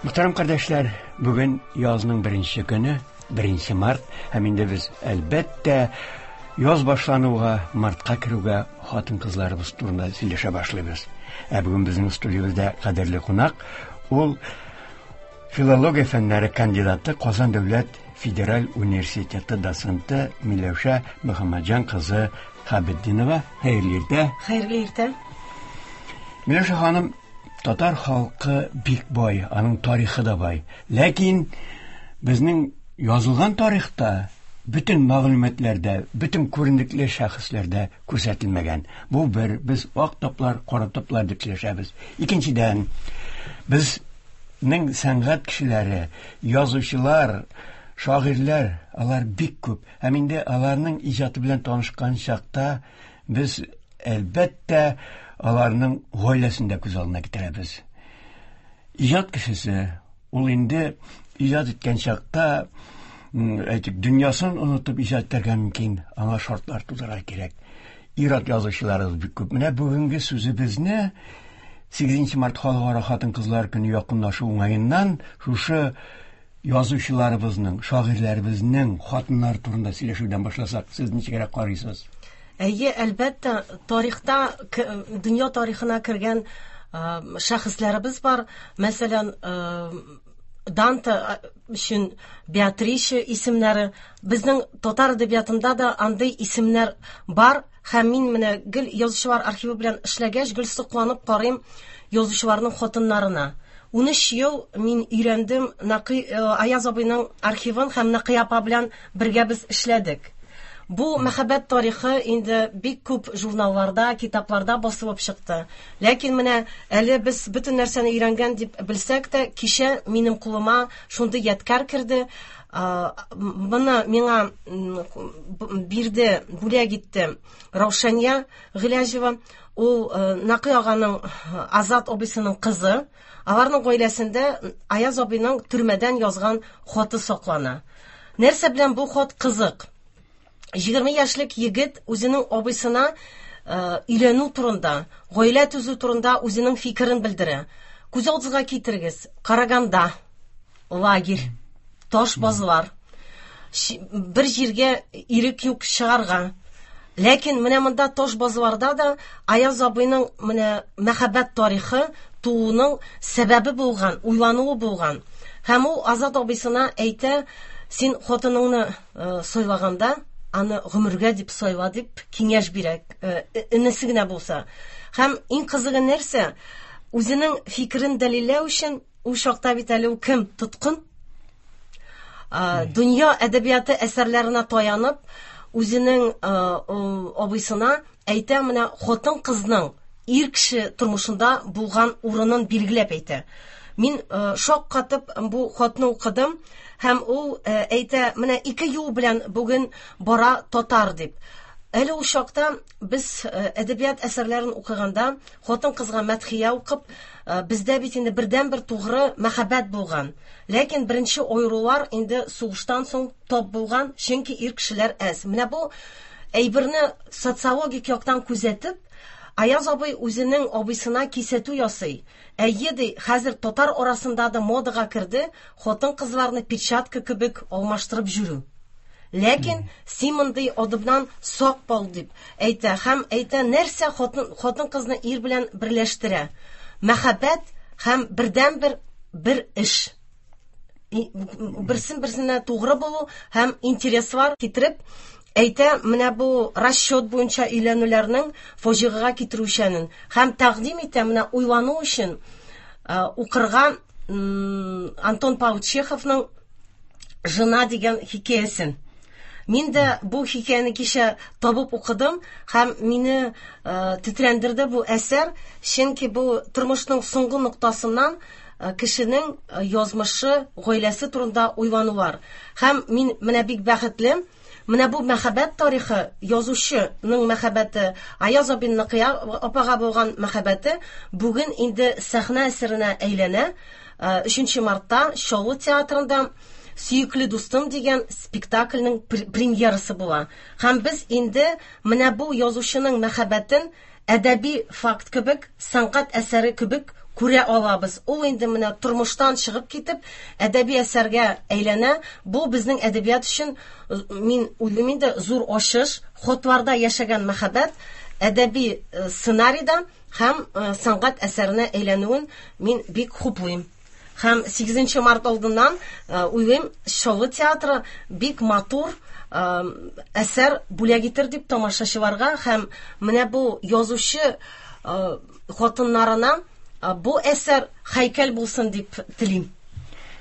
Мөхтәрәм кардәшләр, бүген язның беренче көне, 1 март, һәм инде без, әлбәттә, яз башлануга, мартка керүгә хатын-кызларыбыз турында сөйләшә башлыйбыз. Ә бүген безнең студиябездә кадерле кунак, ул филология фәннәре кандидаты, Казан дәүләт федераль университеты доценты Миләүшә Мөхәммәтҗан кызы Хәбетдинова. Хәерле иртә. Хәерле иртә. Миләүшә ханым, татар халкы бик бай, аның тарихы да бай. Ләкин безнең язылган тарихта бөтен мәгълүматларда, бөтен күренекле шәхесләрдә күрсәтелмәгән. Бу бер, без ак таплар, кара таплар дип сөйләшәбез. Икенчедән, безнең сәнгать кешеләре, язучылар, шагыйрьләр, алар бик күп. Һәм инде аларның иҗаты белән танышкан чакта без, әлбәттә, аларның гаиләсен дә күз алдына китерәбез. Иҗат кешесе ул инде иҗат иткән чакта, әйтик, дөньясын онытып иҗат итәргә мөмкин, аңа шартлар тудырырга кирәк. Ир-ат язучыларыбыз бик күп. Менә бүгенге сүзебезне 8 март халыкара хатын-кызлар көне якынлашу уңаеннан шушы язучыларыбызның, шагыйрьләребезнең хатыннары турында сөйләшүдән башласак, сез ничегрәк карыйсыз? Әйе, әлбәттә, тарихта, дөнья тарихына кергән шәхесләребез бар. Мәсәлән, Данте өчен Беатриче исемнәре. Безнең татар әдәбиятында да андый исемнәр бар. Һәм мин менә гел язучылар архивы белән эшләгәч, гел сокланып карыйм язучыларның хатыннарына. 13 ел мин өйрәндем Нәкый Аяз абыйның архивын һәм Нәкый апа белән бергә без эшләдек. Бу мәхәббәт тарихы инде бик күп журналларда, китапларда басылып чыкты. Ләкин менә әле без бөтен нәрсәне өйрәнгән дип белсәк тә, кичә минем кулыма шундый ядкәр керде. Моны миңа бирде, бүләк итте Раушания Гыйләҗева. Ул Нәкый аганың Азат абыйсының кызы. Аларның гаиләсендә Аяз абыйның төрмәдән язган хаты саклана. Нәрсә белән бу хат кызык? 20 яшьлек егет үзенең абыйсына өйләнү турында, гаилә төзү турында үзенең фикерен белдерә. Күз алдыгызга китерегез, Караганда лагерь, таш базлар, бер җиргә ирек юк чыгарга. Ләкин менә монда таш базларда да Аяз абыйның менә мәхәббәт тарихы тууның сәбәбе булган, уйлануы булган. Һәм ул Азат абыйсына әйтә, син хатыныңны сайлаганда, аны гомергә дип сайла дип киңәш бирә, энесе генә булса. Һәм иң кызыгы нәрсә? Үзенең фикерен дәлилләү өчен ул чакта бит әле ул кем? Тоткын. Дөнья әдәбияты әсәрләренә таянып, үзенең абыйсына әйтә, менә хатын-кызның ир кеше тормышында булган урынын билгеләп әйтә. Мин шаккатып бу хатны укыдым, һәм ул әйтә, менә ике юл белән бүген бара татар дип. Әле ул чакта без әдәбият әсәрләрен укыганда хатын-кызга мәдхия укып, бездә бит инде бердәнбер тугры мәхәббәт булган. Ләкин беренче аерулар инде сугыштан соң тап булган, чөнки ир кешеләр әз. Менә бу әйберне социологик яктан күзәтеп, Аяз абый үзенең абыйсына кисәтү ясый. Әйе, ди, хәзер татар арасында да модага керде хатын-кызларны перчатка кебек алмаштырып йөрү. Ләкин син мондый адымнан сак бул дип әйтә һәм әйтә, нәрсә хатын-кызны ир белән берләштерә? Мәхәббәт һәм бердәнбер бер эш. Берсен берсенә тугры булу һәм интереслар китереп әйтә, менә бу расчет буенча өйләнүләрнең фаҗигагә китерүчәнен һәм тәкъдим итә, менә уйлану өчен укырга Антон Павлович Чеховның Жена дигән хикәясен. Мин дә бу хикәяне кичә табып укыдым һәм мине тетрәндерде бу әсәр, чөнки бу тормышның соңгы ноктасыннан кешенең язмышы, гаиләсе турында уйланулар. Һәм мин менә бик бәхетле. Менә бу мәхәббәт тарихы, язучының мәхәббәте, Аяз абин Нәкыя апага булган мәхәббәте бүген инде сәхнә әсәренә әйләнә. 3 мартта Чаллы театрында Сөекле дустым дигән спектакльнең премьерасы була. Һәм без инде менә бу язучының мәхәббәтен әдәби факт кебек, сәнгать әсәре кебек күрә алабыз. Ул инде менә тормыштан чыгып китеп, әдәби әсәргә әйләнә. Бу безнең әдәбият өчен, мин уйлыйм инде, зур ачыш. Хатларда яшәгән мәхәббәт әдәби сценарийда һәм сәнгать әсәренә әйләнүен мин бик хуплыйм. Һәм 8 март алдыннан уйлыйм, Чаллы театры бик матур әсәр бүләк итер дип тамашачыларга һәм менә бу язучы хатыннарына бу әсәр һәйкәл булсын дип телим.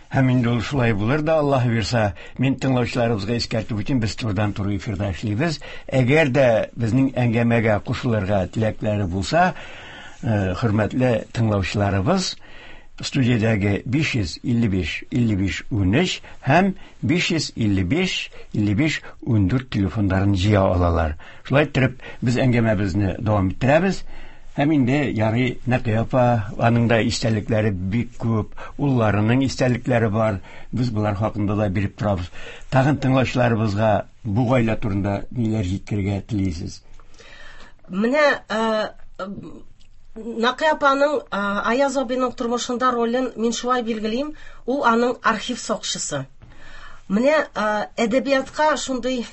Һәм инде ул шулай булыр да, Аллаһ бирса, мин тыңлаучыларыбызга искәртеп үтим, без турыдан-туры эфирда эшлибез. Әгәр дә безнең әңгәмәгә кушылырга теләкләре булса, хөрмәтле тыңлаучыларыбыз, студиядәге 555 55 13 һәм 555 55 14 телефоннарын җыя алалар. Шулай иттереп, без әңгәмәбезне дәвам иттерәбез. Һәм инде ярый Нәкыя апа, аның да истәлекләре бик күп, улларының истәлекләре бар. Без болар хакында да биреп торабыз. Тагын тыңлаучыларыбызга бу гаилә турында ниләр җиткерергә телисез? Менә Нәкыя апаның Аяз абыйның тормышында ролен мин шулай билгелим, ул аның архив сакчысы. Менә әдәбиятка шундый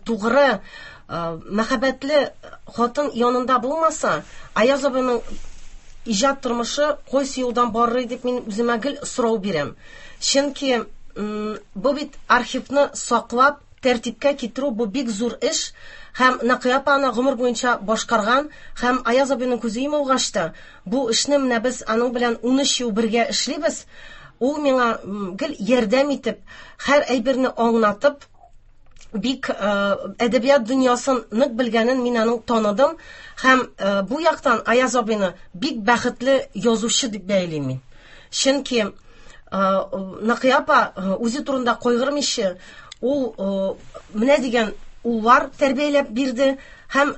тугры, мәхәббәтле хатын янында булмаса, Аяз абыйның иҗат тормышы кайсы юлдан барыр дип мин үземә гел сорау бирәм. Чөнки бу бит архивны саклап, тәртипкә китерү бу бик зур эш һәм Нәкыя апа аны гомер буенча башкарган һәм Аяз абыйның күзе йомылгач та бу эшне менә без аның белән 13 ел бергә эшлибез. Ул миңа гел ярдәм итеп, һәр әйберне аңлатып, бик әдәбият дөньясын нык белгәнен мин аның таныдым һәм бу яктан Аяз абыйны бик бәхетле язучы дип бәялим мин. Чөнки Нәкыя апа үзе турында кайгырмыйча, ул менә дигән уллар тәрбияләп бирде һәм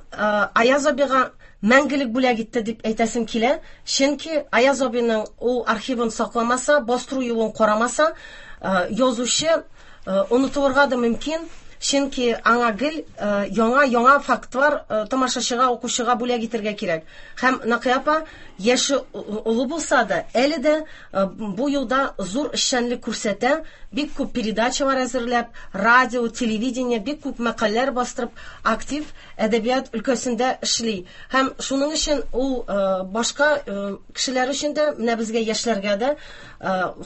Аяз абыйга мәңгелек бүләк итте дип әйтәсем килә. Чөнки Аяз абыйның ул архивын сакламаса, бастыру юлын карамаса, язучы онытылырга да мөмкин. Чөнки аңа гел яңа-яңа фактлар тамашачыга, укучыга бүләк итәргә кирәк. Һәм Нәкыя апа яше олы булса да, әле дә бу юлда зур эшчәнлек күрсәтә, бик күп передачалар әзерләп, радио, телевидение, бик күп мәкаләләр бастырып, актив әдәбият өлкәсендә эшли. Һәм шуның өчен ул башка кешеләр өчен дә, менә безгә яшьләргә дә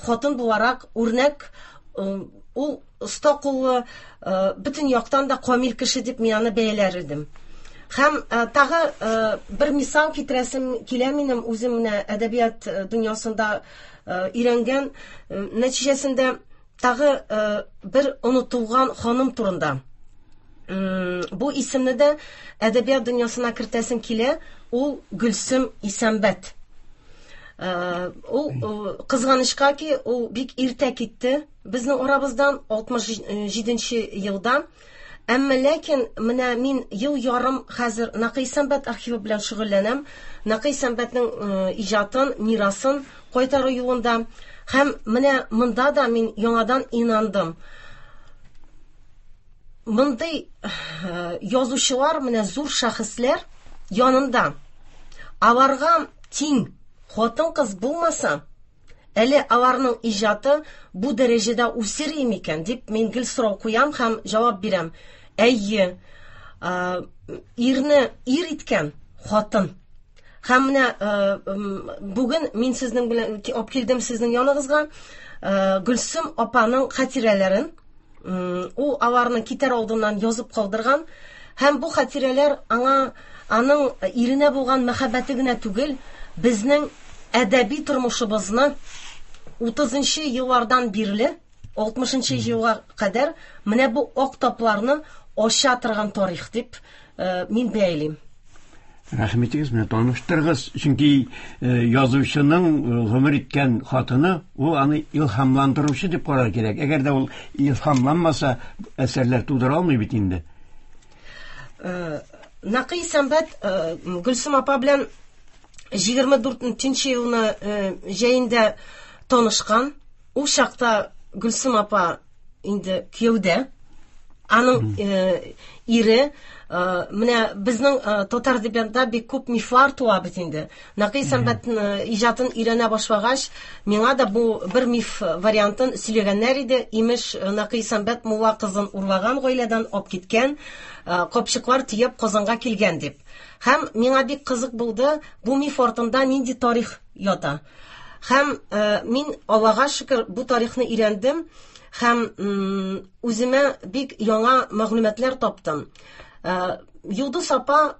хатын буларак үрнәк, ул оста куллы, бөтен яктан да камил кеше дип мин аны бәяләр идем. Һәм тагы бер мисал китерәсем килә минем үзем менә әдәбият дөньясында өйрәнгән нәтиҗәсендә тагы бер онытылган ханым турында. Бу исемне дә әдәбият дөньясына кертәсем килә, ул Гөлсем Исәнбәт. Ул кызганычка ки, ул бик иртә китте безнең арабыздан 67 елда. Әмма ләкин менә мин ел ярым хәзер Нәкый Исәнбәт архивы белән шөгыльләнәм. Нәкый Исәнбәтнең иҗатын, мирасын кайтару юлында. Һәм менә монда да мин яңадан инандым. Мондый язучылар, менә зур шәхесләр янында аларга тиң хатын-кыз булмаса, әле аларның иҗаты бу дәрәҗәдә үсер микән дип мин гел сорау куям һәм җавап бирәм. Әйе, ирне ир иткән хатын. Һәм менә бүген мин сезнең белән алып килдем сезнең яныгызга Гөлсем апаның хатирәләрен. Ул аларны китәр алдыннан язып калдырган. Һәм бу хатирәләр аңа аның иренә булган мәхәббәте генә түгел, безнең әдәби тормышыбызны 30 еллардан бирле 60 елга кадәр менә бу ак тапларны ача торган тарих дип мин бәялим. Рәхим итегез, менә таныштырыгыз, чөнки язучының гомер иткән хатыны, ул аны илһамландыручы дип карар кирәк. Әгәр дә ул илһамланмаса, әсәрләр тудыра алмый бит инде. Нәкый Исәнбәт Гөлсем апа белән 24 елны җәендә танышкан. Ул чакта Гөлсем апа инде кияүдә. Аның ире, менә безнең татар әдәбиятында бик күп мифлар туа бит инде. Нәкый Исәнбәт иҗатын өйрәнә башлагач, миңа да бу бер миф вариантын сөйләгәннәр иде. Имеш, Нәкый Исәнбәт мулла кызын урлаган гаиләдән алып киткән, капчыклар төяп Казанга килгән дип. Һәм миңа бик кызык булды, бу миф артында нинди тарих ята. Һәм мин, Аллага шөкер, бу тарихны өйрәндем һәм үземә бик яңа мәгълүматлар таптым. Йолдыз апа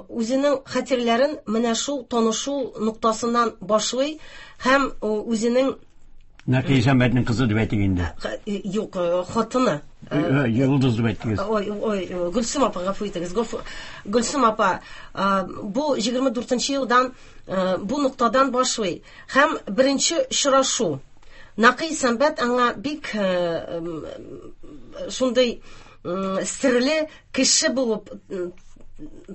үзенең хатирәләрен менә шул танышу ноктасыннан башлый һәм үзенең Нәкый Исәнбәтнең кызы дип әйтик инде. Юк, хатыны. Йолдыз дип әйттегез. Ой, ой, Гөлсем апа, гафу итегез. Гөлсем апа, бу 24 елдан бу ноктадан башлый. Һәм беренче очрашу. Нәкый Исәнбәт аңа бик шундый серле кеше булып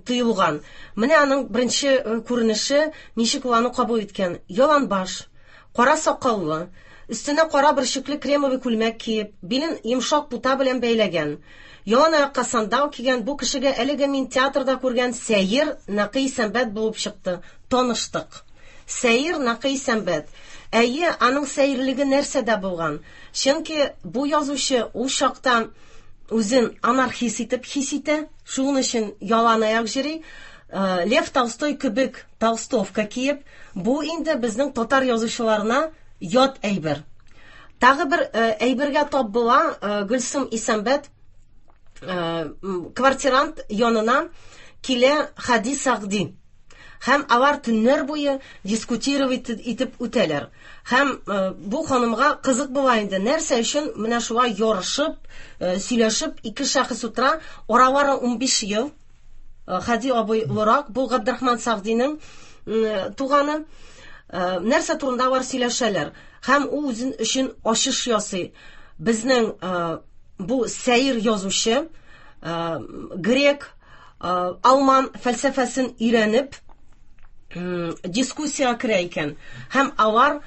тоелган. Менә аның беренче күренеше, ничек ул аны кабул иткән. Яланбаш, кара сакаллы, өстенә кара бөрчекле кремовый күлмәк киеп, билен йомшак пута белән бәйләгән. Ялан аякка сандал кигән бу кешегә әлеге мин театрда күргән сәер Нәкый Исәнбәт булып чыкты. Таныштык. Сәер Нәкый Исәнбәт. Әйе, аның сәерлеге нәрсәдә булган? Чөнки бу язучы ул чакта үзен анархист итеп хис итә, шуның өчен ялан аяк йөри. Лев Толстой кебек толстовка киеп, бу инде безнең татар язучыларына ят әйбер. Тагы бер әйбергә тап була Гөлсем Исәнбәт, квартирант янына килә Хади Сәгъди. Һәм алар төннәр буе дискутировать итеп үтәләр. Һәм бу ханымга кызык була инде, нәрсә өчен менә шулай ярышып, сөйләшеп ике шәхес утыра, аралары 15 ел. Хади абый олырак, бу Габдрахман Сәгъдинең туганы. Нәрсә турында алар сөйләшәләр? Һәм ул үзен өчен ачыш ясый. Безнең бу сәер язучы, грек, алман фәлсәфәсен өйрәнеп, дискуссия керә икән. Һәм алар,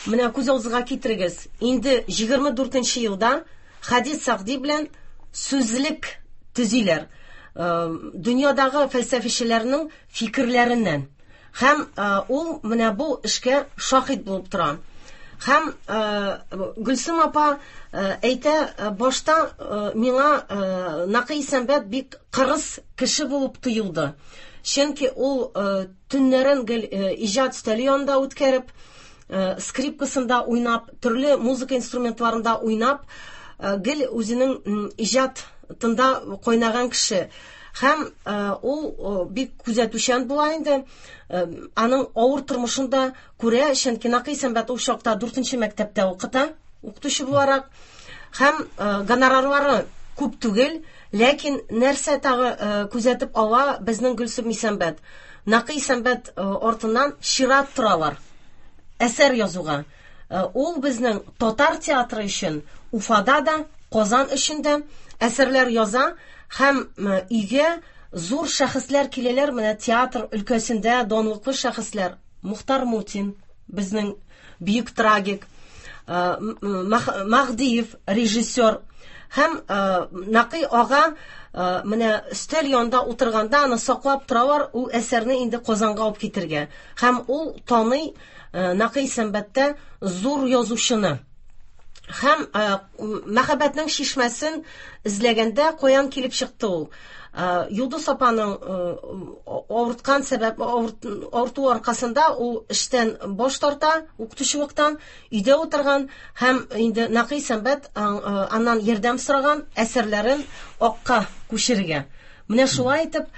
менә күз алдыгызга китерегез, инде 24 елда Хади Сәгъди белән сүзлек төзиләр. Дөньядагы фәлсәфәчеләрнең фикерләреннән. Һәм ул менә бу эшкә шаһит булып тора. Һәм Гөлсем апа әйтә, башта миңа Нәкый Исәнбәт бик кырыс кеше булып тоелды. Чөнки ул төннәрен гел иҗат өстәле янында үткәреп, скрипкасында уйнап, төрле музыка инструментларында уйнап, гел үзенең иҗатында кайнаган кеше. Һәм ул бик күзәтүчән була инде. Аның авыр тормышын да күрә, чөнки Нәкый Исәнбәт ул чакта 4 мәктәптә укыта, укытучы буларак. Һәм гонорарлары күп түгел, ләкин нәрсә тагы күзәтеп ала безнең Гөлсем Исәнбәт? Нәкый Исәнбәт артыннан чират торалар әсәр язуга. Ул безнең татар театры өчен Уфада да, Казан өчен дә әсәрләр яза һәм өйгә зур шәхесләр киләләр, менә театр өлкәсендә данлыклы шәхесләр. Мухтар Мутин, безнең бөек трагик, Маһдиев, режиссер. Һәм Нәкый ага менә өстәл янында утырганда аны саклап торалар, ул әсәрне инде Казанга алып китергә. Һәм ул таный Нәкый Исәнбәттә зур язучыны. Һәм мәхәббәтнең чишмәсен эзләгәндә каян килеп чыкты ул? Йолдыз апаның авырткан сәбәп, авырту аркасында ул эштән баш тарта, укытучылыктан, өйдә утырган һәм инде Нәкый Исәнбәт аннан ярдәм сораган әсәрләрен акка күчерергә. Менә шулай итеп,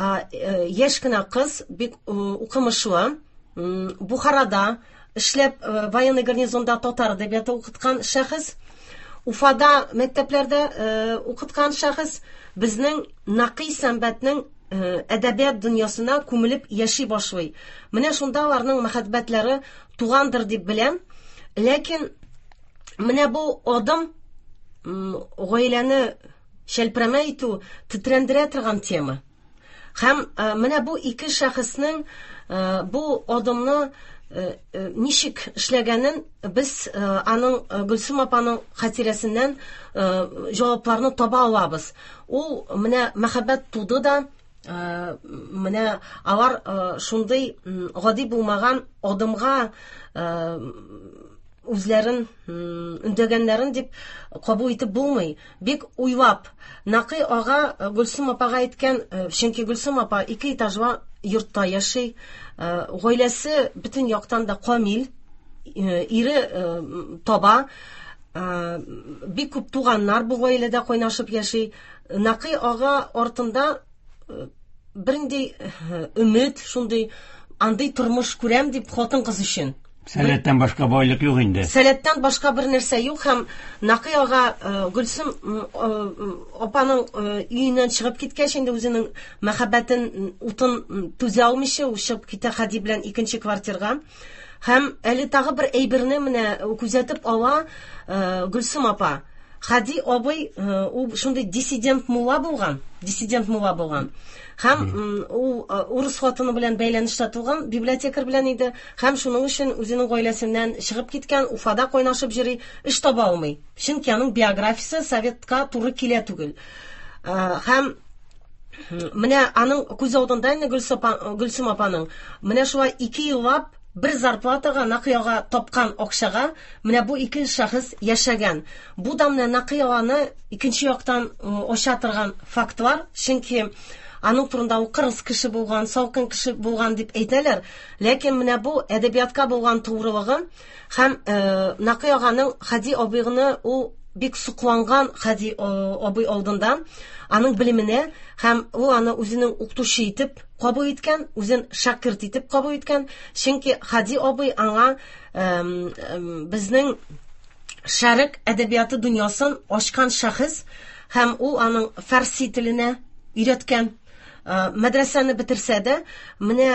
яшь кенә кыз, бик укымышлы, Бухарада эшләп, военный гарнизонда татар әдәбияты укыткан шәхес, Уфада мәктәпләрдә укыткан шәхес, безнең Нәкый Исәнбәтнең әдәбият дөньясына күмелеп яши башлый. Менә шунда аларның мәхәббәтләре тугандыр дип беләм. Ләкин менә бу адым гаиләне шәлперәмә итү, тетрәндерә торган тема. Һәм менә бу ике шәхеснең бу адымны ничек эшләгәнен без аның Гөлсем апаның хатирәсеннән җавапларны таба алабыз. Ул менә мәхәббәт туды да, менә алар шундый гади булмаган адымга үзләрен өндәгәннәрен дип кабул итеп булмый. Бик уйлап, Нәкый ага Гөлсем апага әйткән, чөнки Гөлсем апа ике этажлы йортта яши, гаиләсе бөтен яктан да камил, ире таба, бик күп туганнар бу гаиләдә кайнашып яши. Нәкый ага артында бернинди өмет, шундый андый тормыш күрәм дип хатын-кыз өчен. Сәләттән башка байлык юк инде. Сәләттән башка бер нәрсә юк һәм Нәкый ага Гөлсем апаның өеннән чыгып киткәч инде үзенең мәхәббәтен утын түзә алмыйча ул чыгып китә Хәди белән икенче квартирга. Һәм әле тагы бер әйберне менә күзәтеп ала Гөлсем апа. Хәди абый ул шундый диссидент мулла булган, диссидент мулла булган. Һәм ул урыс хатыны белән бәйләнештә туган, библиотекарь белән иде. Һәм шуның өчен үзенең гаиләсеннән чыгып киткән, Уфада кайнашып йөри, эш таба алмый. Чөнки аның биографиясе советка туры килә түгел. Һәм менә аның күз алдында инде Гөлсем апаның менә шулай 2 еллап бер зарплатага Нәкый ага тапкан акчага менә бу ике шәхес яшәгән. Бу да менә Нәкый аганы икенче яктан ача торган фактлар, чөнки аның турында ул кырыс кеше булган, салкын кеше булган дип әйтәләр. Ләкин менә бу әдәбиятка булган тугрылыгы һәм Нәкый аганың Хәди абыйны ул бик сокланган Хәди абый алдында, аның белеменә һәм ул аны үзенең укытучы итеп кабул иткән, үзен шәкерт итеп кабул иткән. Чөнки Хәди абый аңа безнең шәрык әдәбияты дөньясын ачкан шәхес һәм ул аның фарси теленә өйрәткән. Мәдрәсәне бетерсә дә, менә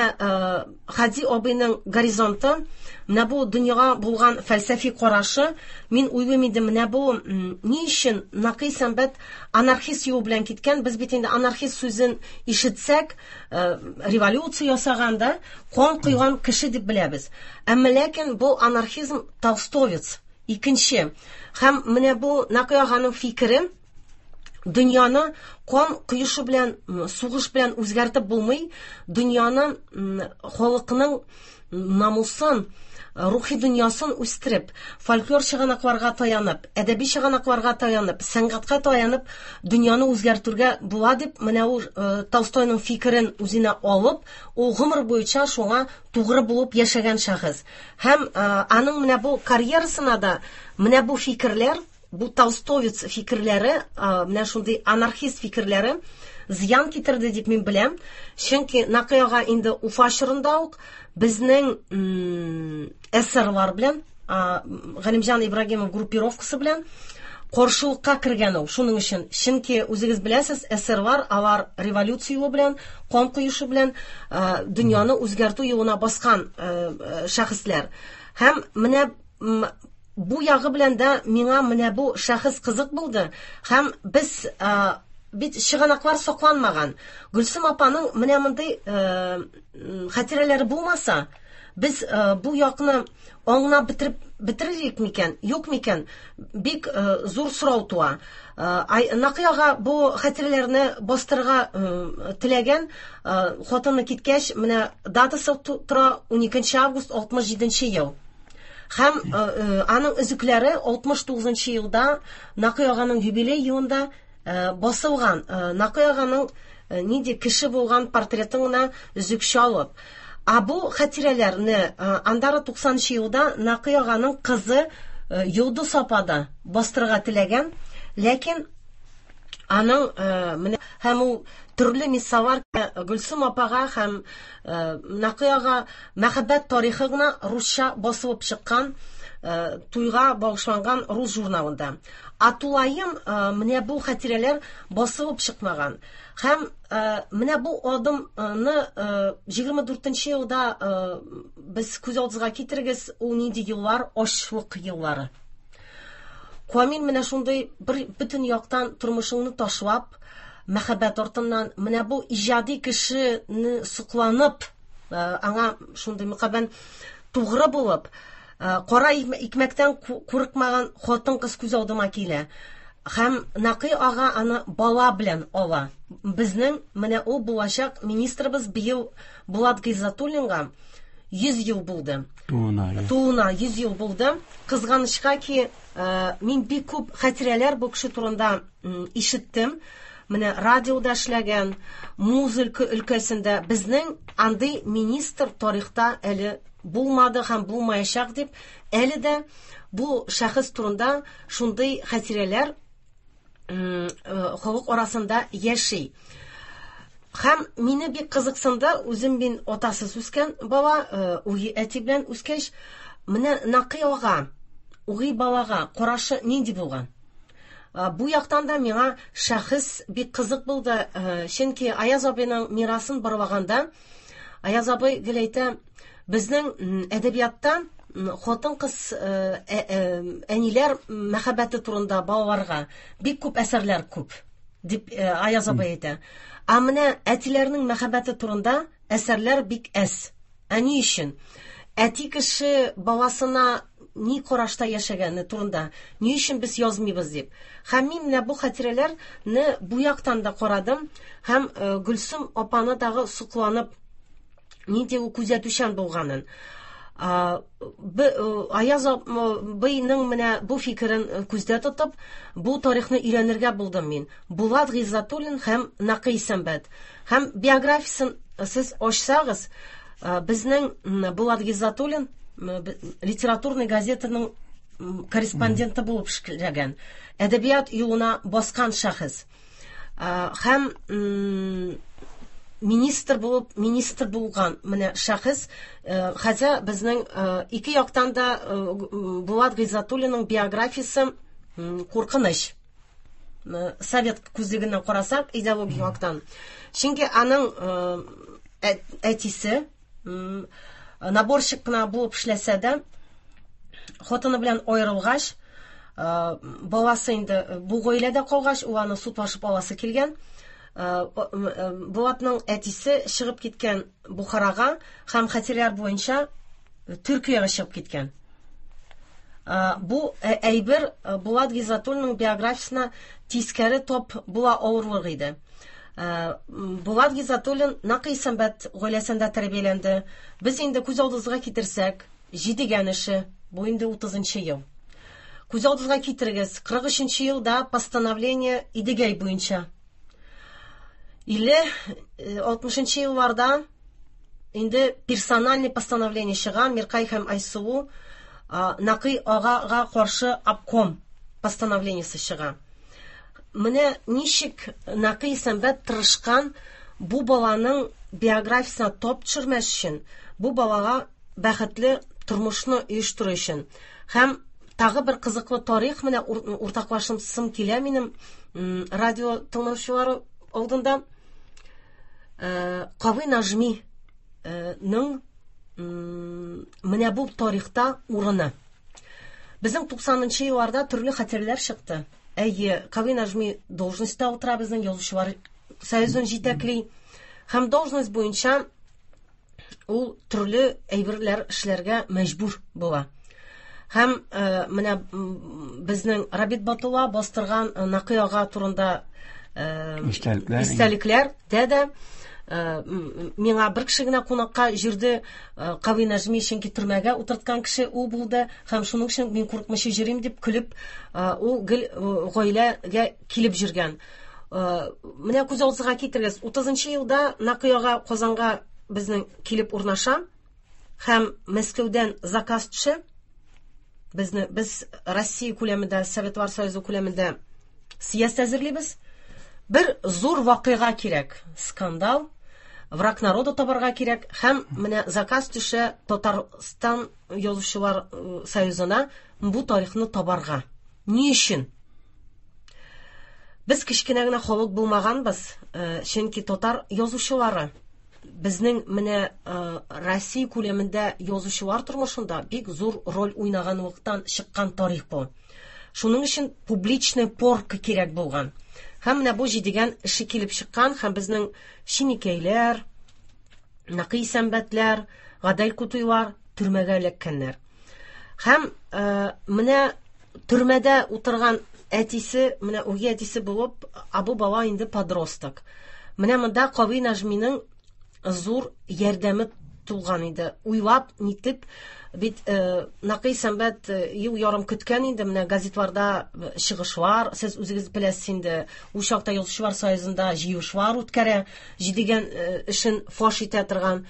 Хәди абыйның горизонты, менә бу дөньяга булган фәлсәфи карашы, мин уйлыйм инде, менә бу ни өчен Нәкый Сәнбәт анархист юлы белән киткән? Без бит инде анархист сүзен ишетсәк, революция ясаган да, кан койган кеше дип беләбез. Әмма ләкин бу анархизм толстовец, икенче. Һәм менә бу Нәкый аганың фикере, дөньяны кан коешы белән, сугыш белән үзгәртеп булмый, дөньяны, халыкның намусын, рухи дөньясын үстереп, фольклор чыганакларга таянып, әдәби чыганакларга таянып, сәнгатькә таянып, дөньяны үзгәртергә була дип, менә ул Толстойның фикерен үзенә алып, ул гомер буенча шуңа тугры булып яшәгән шәхес. Һәм аның менә бу карьерасына да менә бу фикерләр, бу толстовец фикерләре, менә шундый анархист фикерләре зыян китерде дип мин беләм. Чөнки Нәкый ага инде Уфа чорында ук безнең эсерлар белән, Галимҗан Ибрагимов группировкасы белән каршылыкка кергән ул. Шуның өчен, чөнки үзегез беләсез, эсерлар алар революция юлы белән, кан коешы белән дөньяны үзгәртү юлына баскан шәхесләр. Һәм менә бу ягы белән дә миңа менә бу шәхес кызык булды. Һәм без бит чыганаклар сакланмаган. Гөлсем апаның менә мондый хатирәләре булмаса, без бу якны аңлап бетерер микән, юк микән? Бик зур сорау туа. Нәкый ага бу хатирәләрне бастырырга теләгән, хатыны киткәч, менә датасы тора 12 август 67 ел. Һәм аның өзекләре 69 елда Нәкый аганың юбилей елында басылган. Нәкый аганың нинди кеше булган портретын гына өзекчә алып. А бу хатирәләрне андары 90 елда Нәкый аганың кызы Йолдыз апа да бастырырга теләгән, ләкин аның менә һәм ул төрле мисаллар Гөлсем апага һәм Нәкый ага мәхәббәт тарихы гына русча басылып чыккан туйга багышланган рус журналында. А тулаем менә бу хатирәләр басылып чыкмаган. Һәм менә бу адымны 24 елда без күз алдыбызга китерегез, ул нинди еллар, ачлык еллары. Камил менә шундый бер бөтен яктан тормышыңны ташлап, мәхәббәт артыннан менә бу иҗади кешене сокланып, аңа шундый мөкабән Тугры булып, кара икмәктән курыкмаган хатын-кыз күз алдыма килә. Һәм Накый ага аны бала белән ала. Безнең менә ул булачак министрыбыз быел Булат Гыйззәтуллинга 100 ел булды. Тууына. Тууына 100 ел булды. Кызганычка ки, мин бик күп хатирәләр бу кеше турында ишеттем. Менә радиода эшләгән, музыка өлкәсендә безнең андый министр тарихта әле булмады һәм булмаячак дип, әле дә бу шәхес турында шундый хатирәләр халык арасында яши. Һәм мине бик кызыксынды, үзем мин атасыз үскән бала, үги әти белән үскәч, менә Накый ага, үги балага карашы нинди булган? Бу яктан да миңа шәхес бик кызык булды, чөнки Аяз абыйның мирасын барлаганда, Аяз абый гел әйтә, безнең әдәбиятта хатын-кыз әниләр мәхәббәте турында балаларга бик күп әсәрләр күп, дип Аяз абый әйтә. Ә менә әтиләрнең мәхәббәте турында әсәрләр бик әз. Ә ни өчен? Әти кеше баласына ни карашта яшәгәне турында ни өчен без язмыйбыз дип. Һәм мин менә бу хатирәләрне бу яктан да карадым һәм Гөлсем апаны дагы сокланып нинди ул күзәтүчән булганын. Аяз абыйның менә бу фикерен күздә тотып, бу тарихны өйрәнергә булдым мин. Булат Гыйззәтуллин һәм Накый Исәнбәт. Һәм биографиясын сез ачсагыз, безнең Булат Гыйззәтуллин литературный газетаның корреспонденты булып эшләгән, әдәбият юлына баскан шәхес. Һәм министр булып, министр булган менә шәхес, хәзер безнең ике яктан да Булат Гыйззәтуллинның биографиясе куркыныч. Совет күзлегеннән карасак, идеологик яктан. Чөнки аның әтисе наборщик кына булып эшләсә дә, хатыны белән аерылгач, баласы инде бу гаиләдә калгач, ул аны судлашып аласы килгән. Булатның әтисе чыгып киткән Бухарага һәм хатирәләр буенча Төркиягә чыгып киткән. Бу әйбер Булат Гыйззәтуллинның биографиясенә тискәре топ була авырлык иде. Булат Гыйззәтуллин Накый Исәнбәт гаиләсендә тәрбияләнде. Без инде күз алдыбызга китерсәк, Җидегән эше, бу инде 30 ел. Күз алдыгызга китерегез, 43 елда постановление Идегәй буенча. 50-60 елларда инде персональный постановление чыга, Миркай һәм Айсылу Накый агага каршы обком постановлениесе чыга. Менә ничек Накый Исәнбәт тырышкан бу баланың биографиясенә топ төшермәс өчен, бу балага бәхетле тормышны оештыру өчен. Һәм тагы бер кызыклы тарих менә уртаклашымсым килә минем радио тыңлаучылары алдында. Кави Нажми ның менә бу тарихта урыны. Безнең 90-нчы елларда төрле хатирәләр чыкты. Әйе, Кави Нажми должностьта утыра, безнең язучылар союзын җитәкли. Һәм должность буенча ул төрле әйберләр эшләргә мәҗбүр була. Һәм менә безнең Рабит Батулла бастырган Накый ага турында истәлекләр дә дә миңа бер кеше генә кунакка җөрде, Кави Нәҗми, чөнки төрмәгә утырткан кеше ул булды, һәм шуның өчен мин курыкмыйча йөрим дип көлеп, ул гел гаиләгә килеп йөргән. Менә күз алдыгызга китерегез, 30 елда Накый ага Казанга безнең килеп урнаша һәм Мәскәүдән заказ төшә. Безне, без Россия күләмендә, Советлар Союзы күләмендә съезд әзерлибез. Бер зур вакыйга кирәк, скандал, враг народа табарга кирәк һәм менә заказ төшә Татарстан язучылар союзына бу тарихны табарга. Ни өчен? Без кечкенә генә халык булмаганбыз, чөнки татар язучылары безнең менә Россия күләмендә язучылар тормышында бик зур роль уйнаганлыктан чыккан тарих бу. Шуның өчен публичный порка кирәк булган. Һәм менә бу Җидегән эше килеп чыккан һәм безнең Чиникәйләр, Накый Исәнбәтләр, Гадел Кутуйлар төрмәгә эләккәннәр. Һәм менә төрмәдә утырган әтисе, менә үги әтисе булып, ә бу бала инде подросток. Менә монда Кави Нәҗминең зур ярдәме тулган иде. Уйлап, нитеп, бит Нәкый Исәнбәт ел ярым көткән инде, менә газетларда чыгышлар, сез үзегез беләсез инде, ул чакта Язучылар союзында җыелышлар үткәрә, Җидегән эшен фаш итә торган.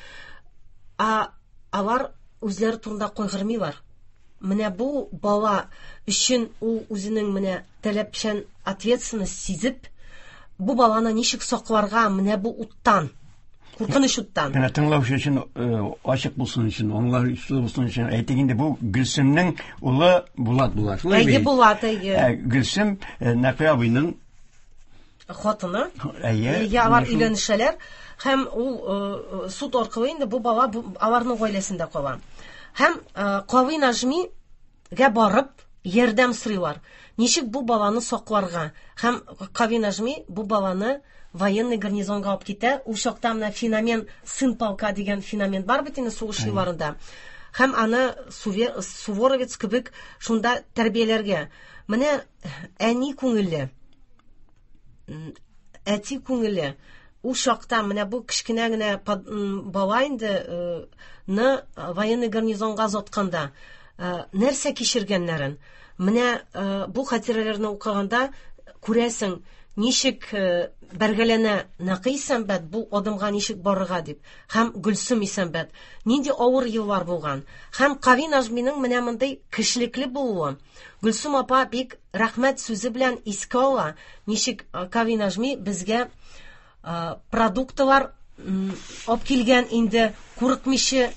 А алар үзләре турында кайгырмыйлар. Менә бу бала өчен ул үзенең менә таләпчән ответственность сизеп, бу баланы ничек сакларга менә бу уттан, куркыныч уттан. Менә тыңлаучы өчен ачык булсын өчен, аңлаешлы булсын өчен әйтик инде, бу Гөлсемнең улы Булат була. Шулай бит? Әйе, Булат, әйе. Гөлсем Нәкый абыйның хатыны. Әйе. Әйе, алар өйләнешәләр һәм ул суд аркылы инде бу бала аларның гаиләсендә кала. Һәм Кави Нәҗмигә барып ярдәм сорыйлар. Ничек бу баланы сакларга? Һәм Кави Нәҗми бу баланы военный гарнизонга алып китә. Ул чакта менә феномен сын полка дигән феномен бар бит инде сугыш елларында. Һәм аны суворовец кебек шунда тәрбияләргә. Менә әни күңелле, әти күңеле ул чакта менә бу кечкенә генә бала инде ны военный гарнизонга озатканда нәрсә кичергәннәрен, менә бу хатирәләрне укыганда күрәсең, ничек бәргәләнә Нәкый Исәнбәт бу адымга ничек барырга дип, һәм Гөлсем Исәнбәт, нинди авыр еллар булган, һәм Кави Нәҗминең менә мондый кешелекле булуы. Гөлсем апа бик рәхмәт сүзе белән искә ала, ничек Кави Нәҗми безгә продуктылар алып килгән инде, курыкмыйча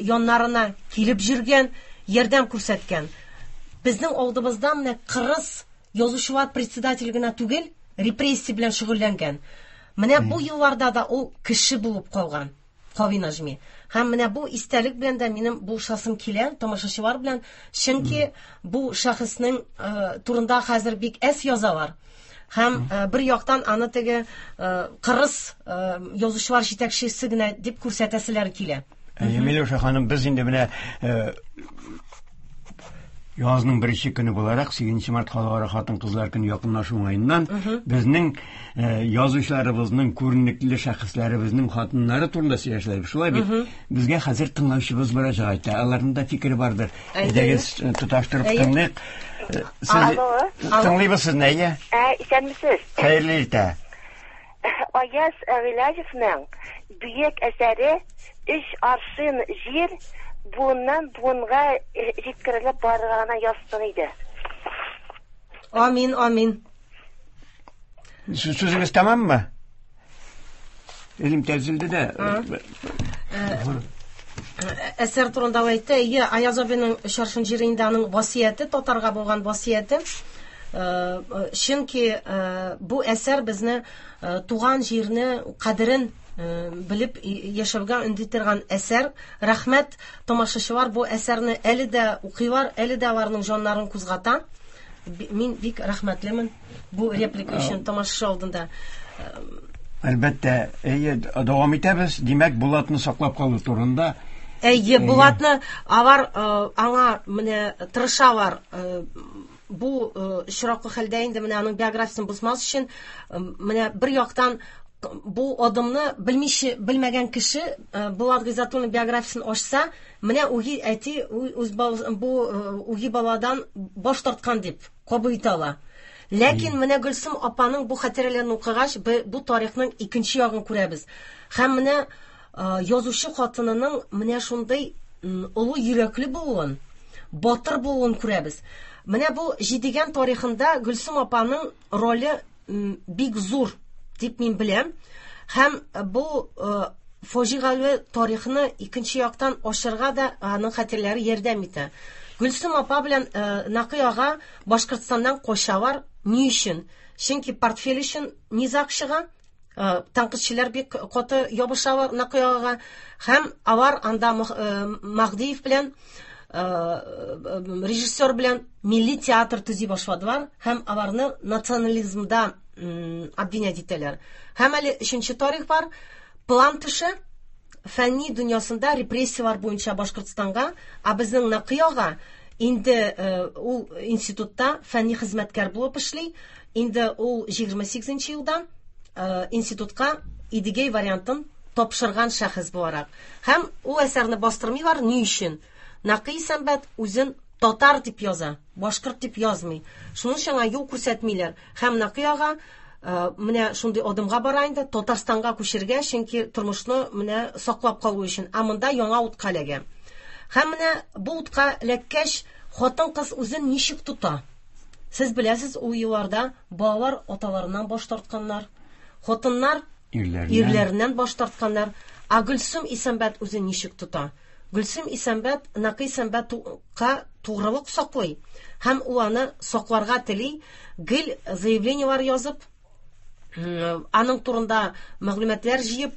яннарына килеп йөргән, ярдәм күрсәткән. Безнең алдыбызда менә кырыс язучылар председатель генә түгел, репрессия белән шөгыльләнгән. Менә бу елларда да ул кеше булып калган. Кави Нәҗми. Һәм менә бу истәлек белән дә минем булышасым килә тамашачылар белән, чөнки бу шәхеснең турында хәзер бик әз язалар. Һәм бер яктан аны теге кырыс язучылар җитәкчесе генә дип күрсәтәселәр килә. Миләүшә ханым, без инде менә язның беренче көне буларак, 8 март халыкара хатын-кызлар көне якынлашу уңаеннан безнең язучыларыбызның, күренекле шәхесләребезнең хатыннары турында сөйләшәбез. Шулай бит? Безгә хәзер тыңлаучыбыз мөрәҗәгать итә. Аларның да фикере бардыр. Әйдәгез, тоташтырып тыңлыйк. Сез тыңлыйбыз сезне, әйе? Исәнмесез. Хәерле иртә. Аяз Гыйләҗевнең бөек әсәре Өч аршин җир буыннан буынга җиткерелеп барырга гына язсын иде. Амин, амин. Сүзегез тәмаммы? Элемтә өзелде дә. Әсәр турында ул әйтте. Әйе, Аяз абыйның Өч аршин җире инде аның васыяте, татарга булган васыяте. Чөнки бу әсәр безне туган җирне кадерен белеп яшәүгә өнди торган әсәр. Рәхмәт, тамашачылар бу әсәрне әле дә укыйлар, әле дә аларның җаннарын кузгата. Мин бик рәхмәтлемен бу реплика өчен тамашачы алдында. Әлбәттә, әйе, дәвам итәбез. Димәк, Булатны саклап калу турында. Әйе, Булатны алар аңа менә тырышалар. Бу очраклы хәлдә инде менә аның биографиясен бозмас өчен, менә бер яктан бу адымны белмичә, белмәгән кеше Булат Гыйззәтуллин биографиясен ачса, менә үги әти үз бу үги баладан баш тарткан дип кабул итә ала. Ләкин менә Гөлсем апаның бу хатирәләрен укыгач, бу тарихның икенче ягын күрәбез. Һәм менә язучы хатынының менә шундый олы йөрәкле булуын, батыр булуын күрәбез. Менә бу Җидегән тарихында Гөлсем апаның роле бик зур дип мин беләм. Һәм бу фаҗигале тарихны икенче яктан ачырга да аның хатирәләре ярдәм итә. Гөлсем апа белән Нәкый ага Башкортстаннан качалар. Ни өчен? Чөнки портфель өчен низаг чыга. Тәнкыйтьчеләр бик каты ябышалар Нәкый агага. Һәм алар анда Маһдиев белән, режиссер белән милли театр төзи башладылар һәм аларны национализмда обвинять итәләр. Һәм әле өченче тарих бар. План төшә. фәнни дөньясында репрессияләр буенча Башкортстанга, ә безнең Нәкый ага инде ул институтта фәнни хезмәткәр булып эшли. Инде ул 28 елда институтка Идегәй вариантын тапшырган шәхес буларак. Һәм ул әсәрне бастырмыйлар ни өчен? Нәкый Исәнбәт үзен татар дип яза, башкорт дип язмый. Шуның өчен аңа юл күрсәтмиләр. Һәм Нәкый ага менә шундый адымга бара инде, Татарстанга күчергә, чөнки тормышны менә саклап калу өчен. Ә монда яңа утка эләгә. Һәм менә бу утка эләккәч, хатын-кыз үзен ничек тота? Сез беләсез, ул елларда балалар аталарыннан баш тартканнар, хатыннар ирләреннән баш тартканнар. Ә Гөлсем Исәнбәт үзен ничек тота? Гөлсем Исәнбәт Нәкый Исәнбәткә тугрылык саклый һәм ул аны сакларга тели, гел заявлениелар язып, аның турында мәгълүматлар җыеп,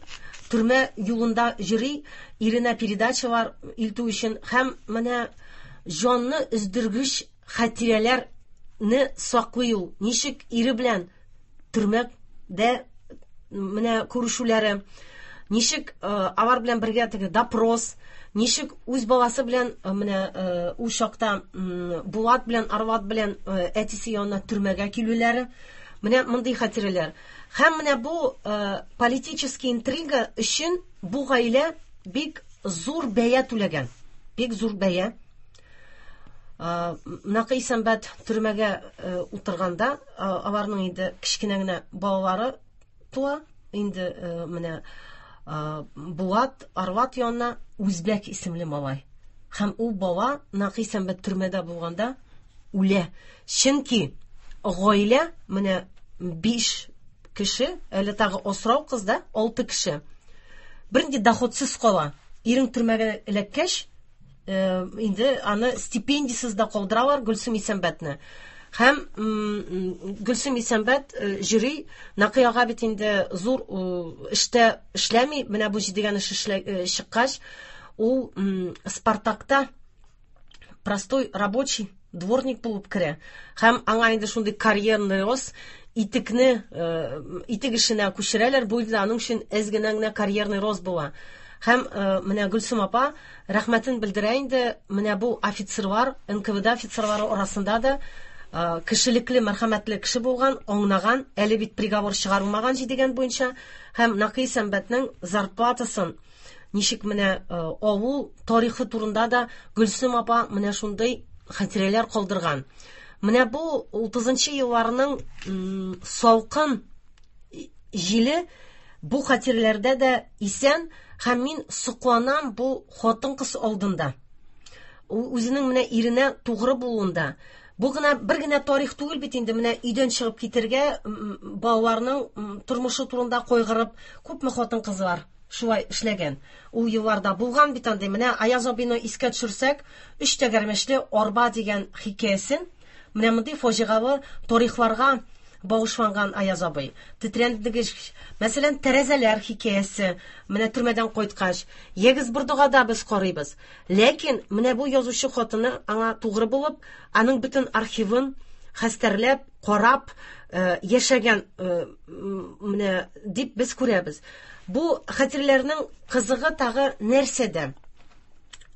төрмә юлында йөри, иренә передачалар илтү өчен һәм менә җанны өздергеч хатирәләрне саклый ул. Ничек ире белән төрмәдә менә күрешүләре, ничек алар белән бергә теге допрос, ничек үз баласы белән менә ул чакта Булат белән Арват белән әтисе янына төрмәгә килүләре, менә мондый хатирәләр. Һәм менә бу политический интрига өчен бу гаилә бик зур бәя түләгән. Бик зур бәя. Нәкый Исәнбәт төрмәгә утырганда, аларның инде кечкенә генә балалары туа. Инде менә Булат, Арват янына Үзбәк исемле малай. Һәм ул бала Нәкый Исәнбәт төрмәдә булганда үлә. Чөнки гаилә менә 5 кеше, әле тагы асрау кыз да 6 кеше. Бернинди доходсыз кала. Ирең төрмәгә эләккәч, инде аны стипендиясез дә калдыралар Гөлсем Исәнбәтне. Һәм Гөлсем Исәнбәт җөри, Нәкый ага бит инде зур эштә эшләми, менә бу җидегән эш чыккач, ул Спартакта простой рабочий, дворник булып керә. Һәм аңа инде шундый карьерный рост, итекне, итек эшенә күчерәләр, бу инде аның өчен әз генә генә карьерный рост була. Һәм менә Гөлсем апа рәхмәтен белдерә инде менә бу офицерлар, НКВД офицерлары арасында да кешелекле, мәрхәмәтле кеше булган, аңнаган, әле бит приговор чыгарылмаган җидегән буенча, һәм Нәкый Исәнбәтнең зарплатасын ничек менә авыл тарихы турында да Гөлсем апа менә шундый хатирәләр калдырган. Менә бу 30 елларның салкын җиле бу хатирәләрдә дә исән, һәм мин сокланам бу хатын-кыз алдында. Ул үзенең менә иренә тугры булуында. Бу гына бер генә тарих түгел бит инде, менә өйдән чыгып китергә, балаларның тормышы турында кайгырып, күпме хатын-кызлар шулай эшләгән. Ул елларда булган бит андый. Менә Аяз абыйны искә төшерсәк, Өч тәгәрмәчле арба дигән хикәясен, менә мондый фаҗигалы тарихларга багышланган Аяз абый. Тетрәндергеч, мәсәлән, тәрәзәләр хикәясе, менә төрмәдән кайткач, Ягез Бордыгада без карыйбыз. Ләкин менә бу язучы хатыны аңа тугры булып, аның бөтен архивын хәстәрләп, карап, яшәгән, менә дип без күрәбез. Бу хатирәләрнең кызыгы тагы нәрсәдә?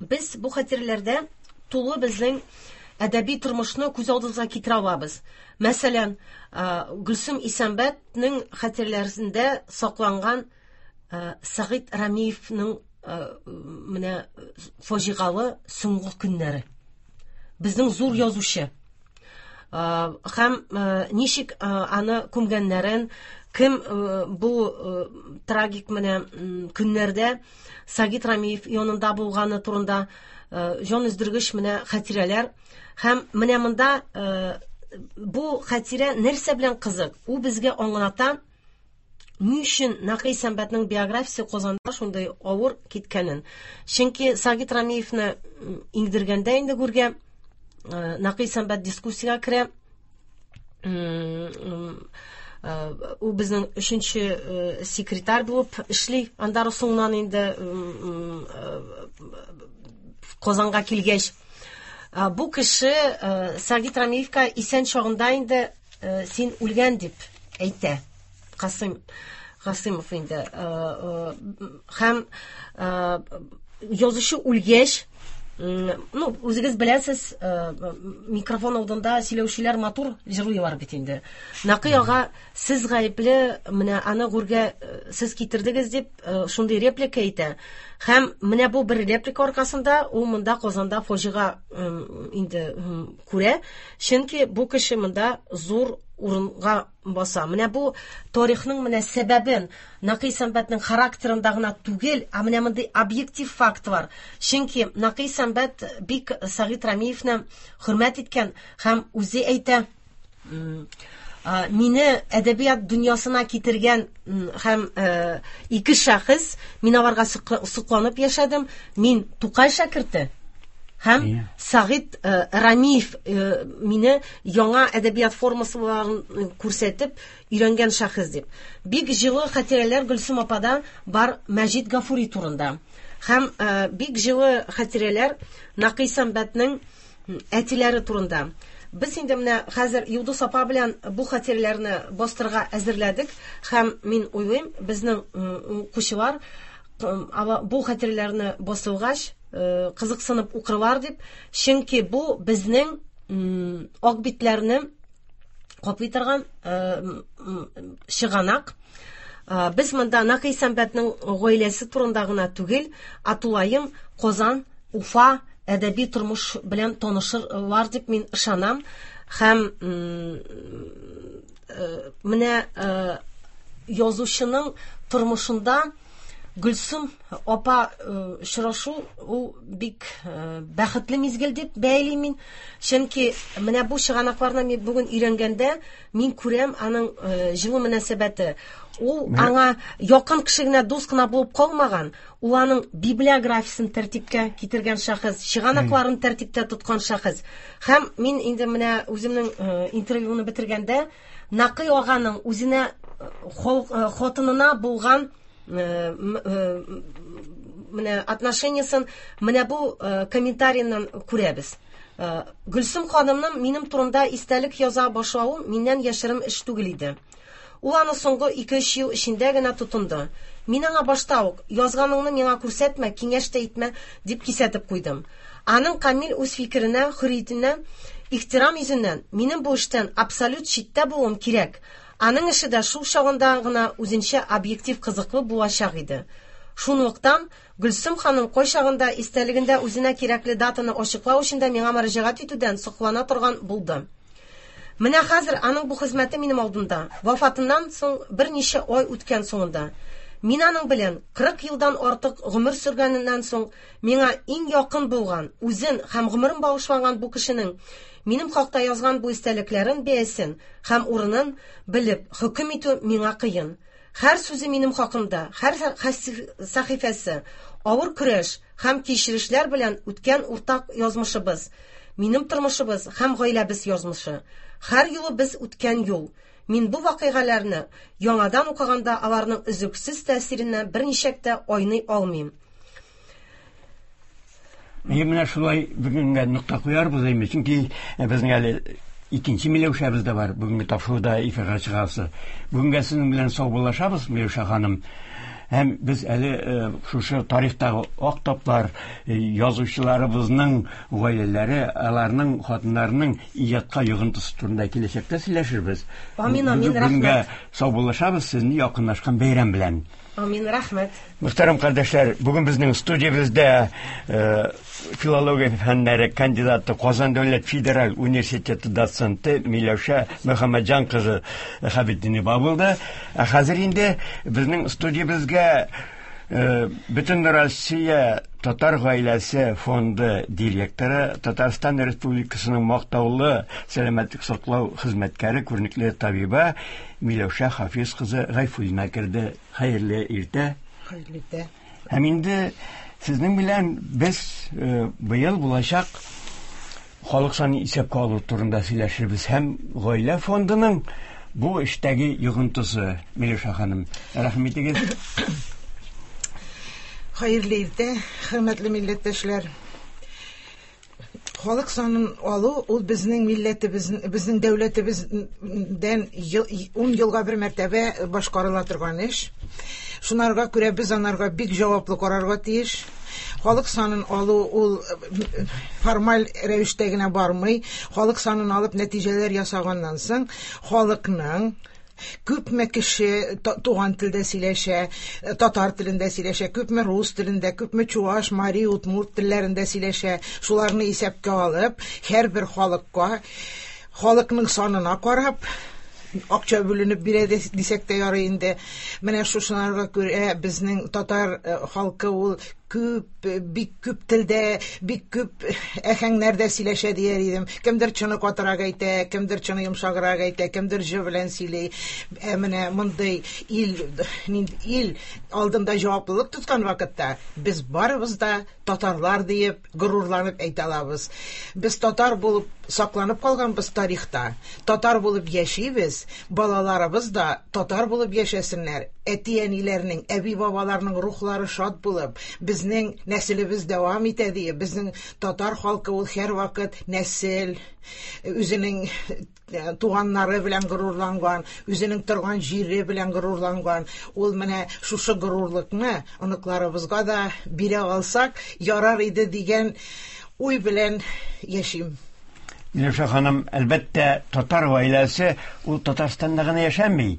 Без бу хатирәләрдә тулы безнең әдәби тормышны күз алдыбызга китерә алабыз. Мәсәлән, Гөлсем Исәнбәтнең хатирәләрендә сакланган Сәгыйть Рамиевның менә фаҗигалы соңгы көннәре. Безнең зур язучы. Һәм ничек аны күмгәннәрен, кем бу трагик менә көннәрдә Сагит Рамиев янында булганы турында җан өздергеч менә хатирәләр. Һәм менә монда бу хатирә нәрсә белән кызык? Ул безгә аңлата, ни өчен Нәкый Исәнбәтнең биографиясе Казанда шундый авыр киткәнен. Чөнки Сагит Рамиевны иңдергәндә инде гүргә Нәкый Исәнбәт дискуссиягә керә. Ул безнең өченче секретарь булып эшли. Аннары соңыннан инде Казанга килгәч, бу кеше Сагит Рамиевка исән чагында инде син үлгән дип әйтә. Касыйм. Гасыймов инде. Һәм язучы үлгәч, ну, үзегез беләсез, микрофон алдында сөйләүчеләр матур җырлыйлар бит инде. Нәкый ага, сез гаепле, менә аны гүргә сез китердегез дип, шундый реплика әйтә. Һәм менә бу бер реплика аркасында ул монда Казанда фаҗига инде күрә, чөнки бу кеше монда зур урынга баса. Менә бу тарихның менә сәбәбен Нәкый Сәнбәтнең характерында гына түгел, ә менә мондый объектив фактлар. Чөнки Нәкый Сәнбәт бик Сәгыйть Рәмиевне хөрмәт иткән һәм үзе әйтә, мине әдәбият дөньясына китергән һәм ике шәхес, мин аларга сокланып яшәдем. Мин Тукай шәкерте һәм Сәгыйть Рәмиев мине яңа әдәбият формасыларын күрсәтеп өйрәнгән шәхес дип. Бик җылы хатирәләр Гөлсем апада бар Мәҗит Гафури турында. Һәм бик җылы хатирәләр Нәкый Сәнбәтнең әтиләре турында. Без инде менә хәзер Йолдыз апа белән бу хатирәләрне бастырырга әзерләдек һәм мин уйлыйм, безнең укучылар бу хатирәләрне басылгач кызыксынып укырлар дип, чөнки бу безнең ак битләрне каплый торган чыганак. Без монда Нәкый Сәнбәтнең гаиләсе турында гына түгел, ә тулаем Казан, Уфа әдәби тормыш белән танышырлар дип мин ышанам. Һәм менә язучының тормышында Гөлсем апа очрашу ул бик бәхетле мизгел дип бәялим мин. Чөнки менә бу чыганакларны мин бүген өйрәнгәндә, мин күрәм аның җылы мөнәсәбәте. Ул аңа якын кеше генә, дус кына булып калмаган, ул аның библиографиясен тәртипкә китергән шәхес, чыганакларын тәртиптә тоткан шәхес. Һәм мин инде менә үземнең интервьюны бетергәндә, Нәкый аганың үзенә хатынына булган менә отношениясен менә бу комментарийыннан күрәбез. Гөлсем ханымның минем турында истәлек яза башлавы миннән яшерен эш түгел иде. Ул аны соңгы ике-өч ел эчендә генә тотынды. Мин аңа башта ук, язганыңны миңа күрсәтмә, киңәш тә итмә, дип кисәтеп куйдым. Аның камил үз фикеренә, хөрриятенә ихтирам йөзеннән, минем бу эштән абсолют читтә булуым кирәк. Аның эше дә шул чагында гына үзенчә объектив кызыклы булачак иде. Шунлыктан, Гөлсем ханым кайчагында истәлегендә үзенә кирәкле датаны ачыклау өчен дә миңа мөрәҗәгать итүдән саклана торган булды. Менә хәзер аның бу хезмәте минем алдында, вафатыннан соң берничә ай үткән соңында. Мин аның белән 40 елдан артык гомер сөргәненнән соң миңа иң якын булган, үзен һәм гомерен багышланган бу кешенең минем хакта язган бу истәлекләрен бәясен һәм урынын белеп хөкем итү миңа кыен. Һәр сүзе минем хакымда, һәр сәхифәсе авыр көрәш һәм кичерешләр белән үткән уртак язмышыбыз, минем тормышыбыз һәм гаиләбез язмышы. Һәр юлы без үткән юл. Мин бу вакыйгаларны яңадан укыганда аларның өзлексез тәэсиреннән берничек тә айный алмыйм. Мин менә шулай бүгенгә нокта куярбыз инде, чөнки безнең әле икенче Миләүшәбез дә бар, бүгенге тапшыруда эфирга чыгасы. Бүгенгә сезнең белән саубуллашабыз, Миләүшә ханым. Һәм без әле шушы тарихтагы ак таплар, язучыларыбызның гаиләләре, аларның хатыннарының иҗатка йогынтысы турында киләчәктә сөйләшербез. Амин, амин, рәхмәт. Бүгенгә саубуллашабыз, сезне якынлашкан бәйрәм белән. Амин, рәхмәт. Мөхтәрәм кардәшләр, бүген безнең студиябездә филология фәннәре кандидаты, Казан дәүләт федераль университеты доценты Миләүшә Мөхәммәтҗан кызы Хәбетдинова булды. Ә хәзер инде безнең студиябезгә Бөтен Россия татар гаиләсе фонды директоры, Татарстан Республикасының мактаулы сәламәтлек саклау хезмәткәре, күренекле табиба Миләүшә Хафиз кызы Гайфуллина керде. Хәерле иртә. Хәерле иртә. Һәм инде сезнең белән без быел булачак халык санын исәпкә алу турында сөйләшербез һәм гаилә фондының бу эштәге йогынтысы. Миләүшә ханым, рәхим итегез. Хәерле иртә, хөрмәтле милләттәшләр. Халык санын алу ул безнең милләтебез, безнең дәүләтебездән 10 елга бер мәртәбә башкарыла торган эш. Шунарга күрә без анарга бик җаваплы карарга тиеш. Халык санын алу ул формаль рәвештә генә бармый. Халык санын алып нәтиҗәләр ясаганнан соң халыкның күпме кеше туган телдә сөйләшә, татар телендә сөйләшә, күпме рус телендә, күпме чуаш, мари, удмурт телләрендә сөйләшә, шуларны исәпкә алып, һәрбер халыкка, халыкның санына карап, акча бүленеп бирә дисәк тә ярый инде. Менә шушыларга күрә безнең татар халкы ул күп, бик күп телдә, бик күп әһәңнәрдә сөйләшә дияр идем. Кемдер чыны катырак әйтә, кемдер чыны йомшаграк әйтә, кемдер җы белән сөйли. Ә менә мондый ил, ил алдында җаваплылык тоткан вакытта без барыбыз да татарлар диеп горурланып әйтә алабыз. Без татар булып сакланып калганбыз тарихта. Татар булып яшибез, балаларыбыз да татар булып яшәсеннәр. Әти-әниләрнең, әби-бабаларның рухлары шат булып, безнең нәселебез дәвам итә диеп, безнең татар халкы ул һәрвакыт нәсел, үзенең туганнары белән горурланган, үзенең торган җире белән горурланган. Ул менә шушы горурлыкны оныкларыбызга да бирә алсак, ярар иде дигән уй белән яшим. Миләүшә ханым, әлбәттә, татар гаиләсе ул Татарстанда гына яшәми.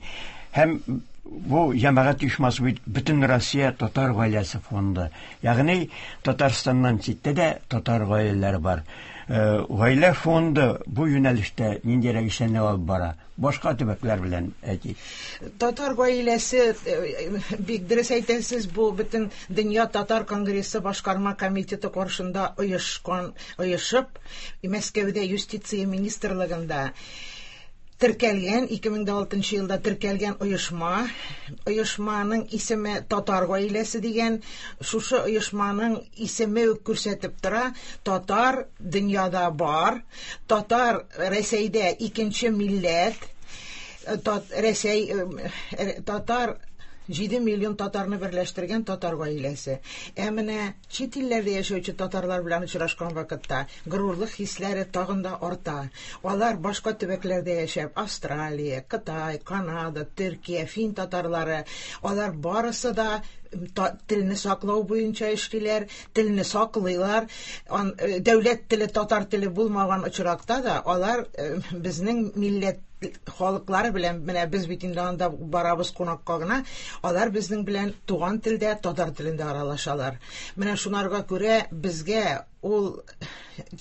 Һәм бу җәмәгать оешмасы бит Бөтен Россия татар гаиләсе фонды. Ягъни Татарстаннан читтә дә татар гаиләләре бар. Гаилә фонды бу юнәлештә ниндирәк эшләрне алып бара? Башка төбәкләр белән әйтик. Татар гаиләсе, бик дөрес әйтәсез, бу бөтен дөнья татар конгрессы башкарма комитеты каршында оешкан, оешып, Мәскәүдә юстиция министрлыгында теркәлгән, 2006 елда теркәлгән оешма. Оешманың исеме Татар гаиләсе дигән. Шушы оешманың исеме үк күрсәтеп тора, татар дөньяда бар, татар Рәсәйдә икенче милләт, Рәсәй, татар 7 миллион татарны берләштергән татар гаиләсе. Ә менә чит илләрдә яшәүче татарлар белән очрашкан вакытта горурлык хисләре тагын да арта. Алар башка төбәкләрдә яшәп, Австралия, Кытай, Канада, Төркия, фин татарлары, алар барысы да телне саклау буенча эшлиләр, телне саклыйлар. Дәүләт теле татар теле булмаган очракта да алар безнең милләт халыклары белән, менә без бит инде анда барабыз кунакка гына, алар безнең белән туган телдә, татар телендә аралашалар. Менә шунарга күрә безгә ул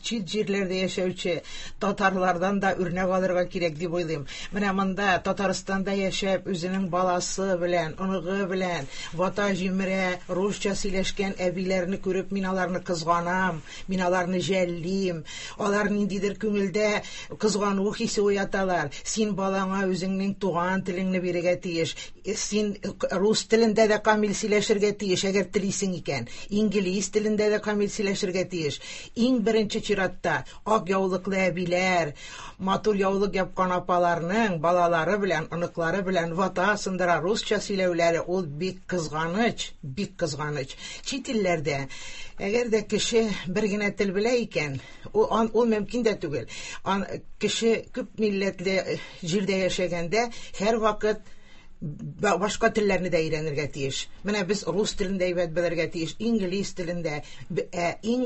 чит җирләрдә яшәүче татарлардан да үрнәк алырга кирәк дип уйлыйм. Менә монда Татарстанда яшәп, үзенең баласы белән, оныгы белән вата җимерә, русча сөйләшкән әбиләрне күреп, мин аларны кызганам, мин аларны жәллим. Алар ниндидер күңелдә кызгану хисе уяталар. Син балаңа үзеңнең туган телеңне бирергә тиеш. Син рус телендә дә камил сөйләшергә тиеш, әгәр телисең икән. Инглиз телендә дә камил сөйләшергә тиеш. Иң беренче чиратта ак яулыклы әбиләр, матур яулык япкан апаларның балалары белән, оныклары белән вата сындыра русча сөйләүләре ул бик кызганыч, бик кызганыч. Чит илләрдә әгәр дә кеше бер генә тел белә икән, ул мөмкин дә түгел. Кеше күп милләтле җирдә яшәгәндә һәрвакыт башка телләрне дә өйрәнергә тиеш. Менә без рус телен дә әйбәт белергә тиеш, инглиз телен дә, иң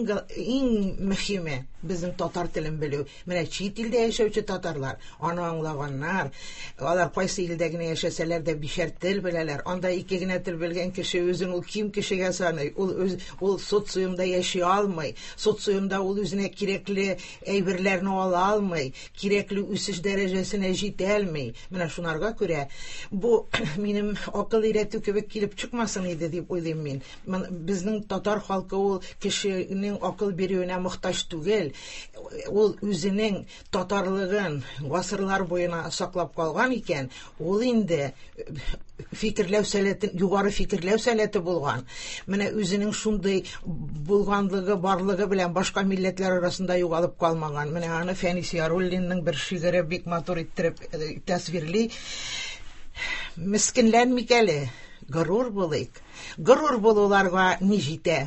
мөһиме безнең татар телен белү. Менә чит илдә яшәүче татарлар аны аңлаганнар. Алар кайсы илдә генә яшәсәләр дә бишәр тел беләләр. Анда ике генә тел белгән кеше үзен ул ким кешегә саный. Ул социумда яши алмый. Социумда ул үзенә кирәкле әйберләрне ала алмый, кирәкле үсеш дәрәҗәсенә җитә алмый. Менә шунарга күрә бу минем акыл өйрәтү кебек килеп чыкмасын иде дип уйлыйм мин. Безнең татар халкы ул кешенең акыл бирүенә мохтаҗ түгел. Ул үзенең татарлыгын гасырлар буена саклап калган икән, ул инде фикерләү сәләте, югары фикерләү сәләте булган. Менә үзенең шундый булганлыгы, барлыгы белән башка милләтләр арасында югалып калмаган. Менә аны Фәнис Яруллинның бер шигыре бик матур иттереп тасвирли. Мескенләнмик әле, горур булыйк. Горур булуларга ни җитә?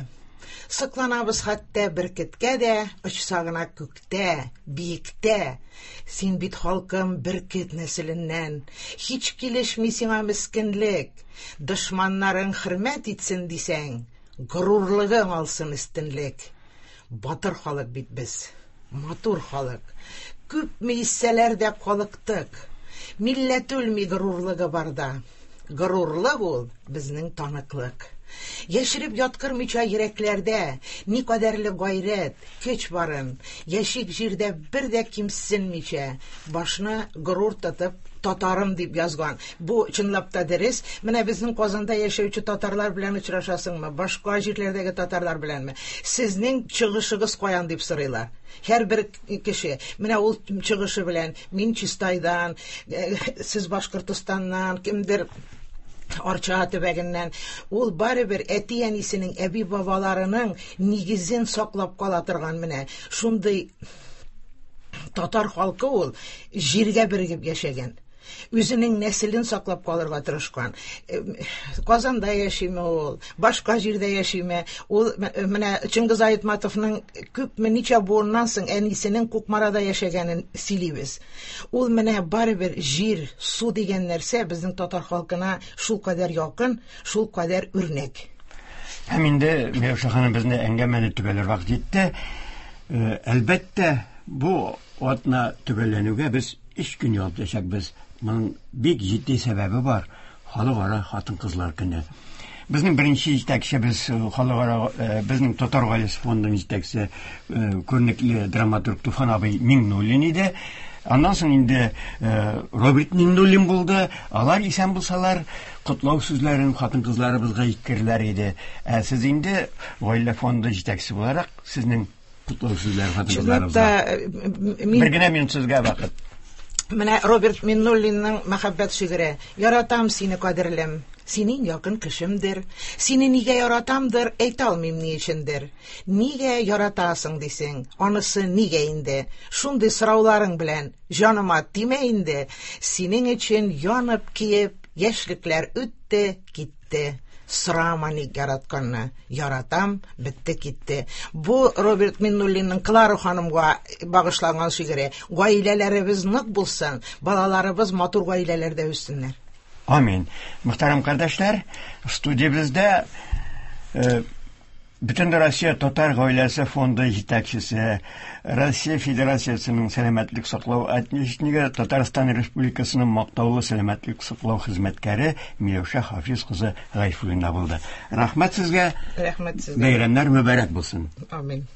Сокланабыз хәтта бөркеткә дә, очса гына күктә, биектә. Син бит, халкым, бөркет нәселеннән. Һич килешми сиңа мескенлек. Дошманнарың хөрмәт итсен дисәң, горурлыгың алсын өстенлек. Батыр халык бит без, матур халык. Күпме иссәләр дә калыктык. Милләт үлми горурлыгы барда. Горурлык ул безнең таныклык. Яшереп яткырмыйча йөрәкләрдә никадәрле гайрәт, көч барын, яшик җирдә бер дә кимсенмичә, башны горур тотып, татарым дип язган. Бу чынлап та дөрес. Менә безнең Казанда яшәүче татарлар белән очрашасыңмы, башка җирләрдәге татарлар беләнме? Сезнең чыгышыгыз каян дип сорыйлар. Һәрбер кеше менә ул чыгышы белән мин Чистайдан, сез Башкортостаннан, кемдер Арча төбәгеннән. Ул барыбер әти-әнисенең, әби-бабаларының нигезен саклап кала торган менә шундый татар халкы ул җиргә берегеп яшәгән. Үзенең нәселен саклап калырга тырышкан. Казанда яшиме ул, башка җирдә яшиме? Ул менә Чингиз Айтматовның күпме ничә буыннан соң әнисенең Кукмарада яшәгәнен сөйлибез. Ул менә барыбер җир, су дигән нәрсә безнең татар халкына шул кадәр якын, шул кадәр үрнәк. Һәм инде Миләүшә ханым безне әңгәмәне төгәлләр вакыт җитте. Әлбәттә, бу атна төгәлләнүгә без 3 көн ял итәчәкбез. Моның бик җитди сәбәбе бар. Халыкара хатын-кызлар көне. Безнең беренче җитәкчебез халыкара безнең Татар гаиләсе фондының җитәкчесе күренекле драматург Туфан абый Миңнуллин иде. Аннан соң инде Роберт Миңнуллин булды. Алар исән булсалар, котлау сүзләрен хатын-кызларыбызга җиткерерләр иде. Ә сез инде гаилә фонды җитәкчесе буларак, сезнең котлау сүзләре хатын-кызларыбызга. Мин... Бер генә минут сезгә вакыт. Менә Роберт Миннуллинның мәхәббәт шигыре. Яратам сине, кадерлем. Синең якын кешемдер. Сине нигә яратамдыр, әйтә алмыйм ни өчендер. Нигә яратасың дисең, анысы нигә инде? Шундый сорауларың белән җаныма тимә инде. Синең өчен янып киеп, яшьлекләр үтте, китте. Сорама ник яратканны. Яратам, бетте китте. Бу Роберт Миннуллинның Клара ханымга багышланган шигыре. Гаиләләребез нык булсын, балаларыбыз матур гаиләләрдә үссеннәр. Амин. Мөхтәрәм кардәшләр, студиябездә Бөтен Россия татар гаиләсе фонды җитәкчесе, Россия Федерациясенең сәламәтлек саклау отличнигы, Татарстан Республикасының мактаулы сәламәтлек саклау хезмәткәре Миләүшә Хафиз кызы Гайфуллина булды. Рәхмәт сезгә. Рәхмәт сезгә. Бәйрәмнәр мөбарәк булсын. Амин.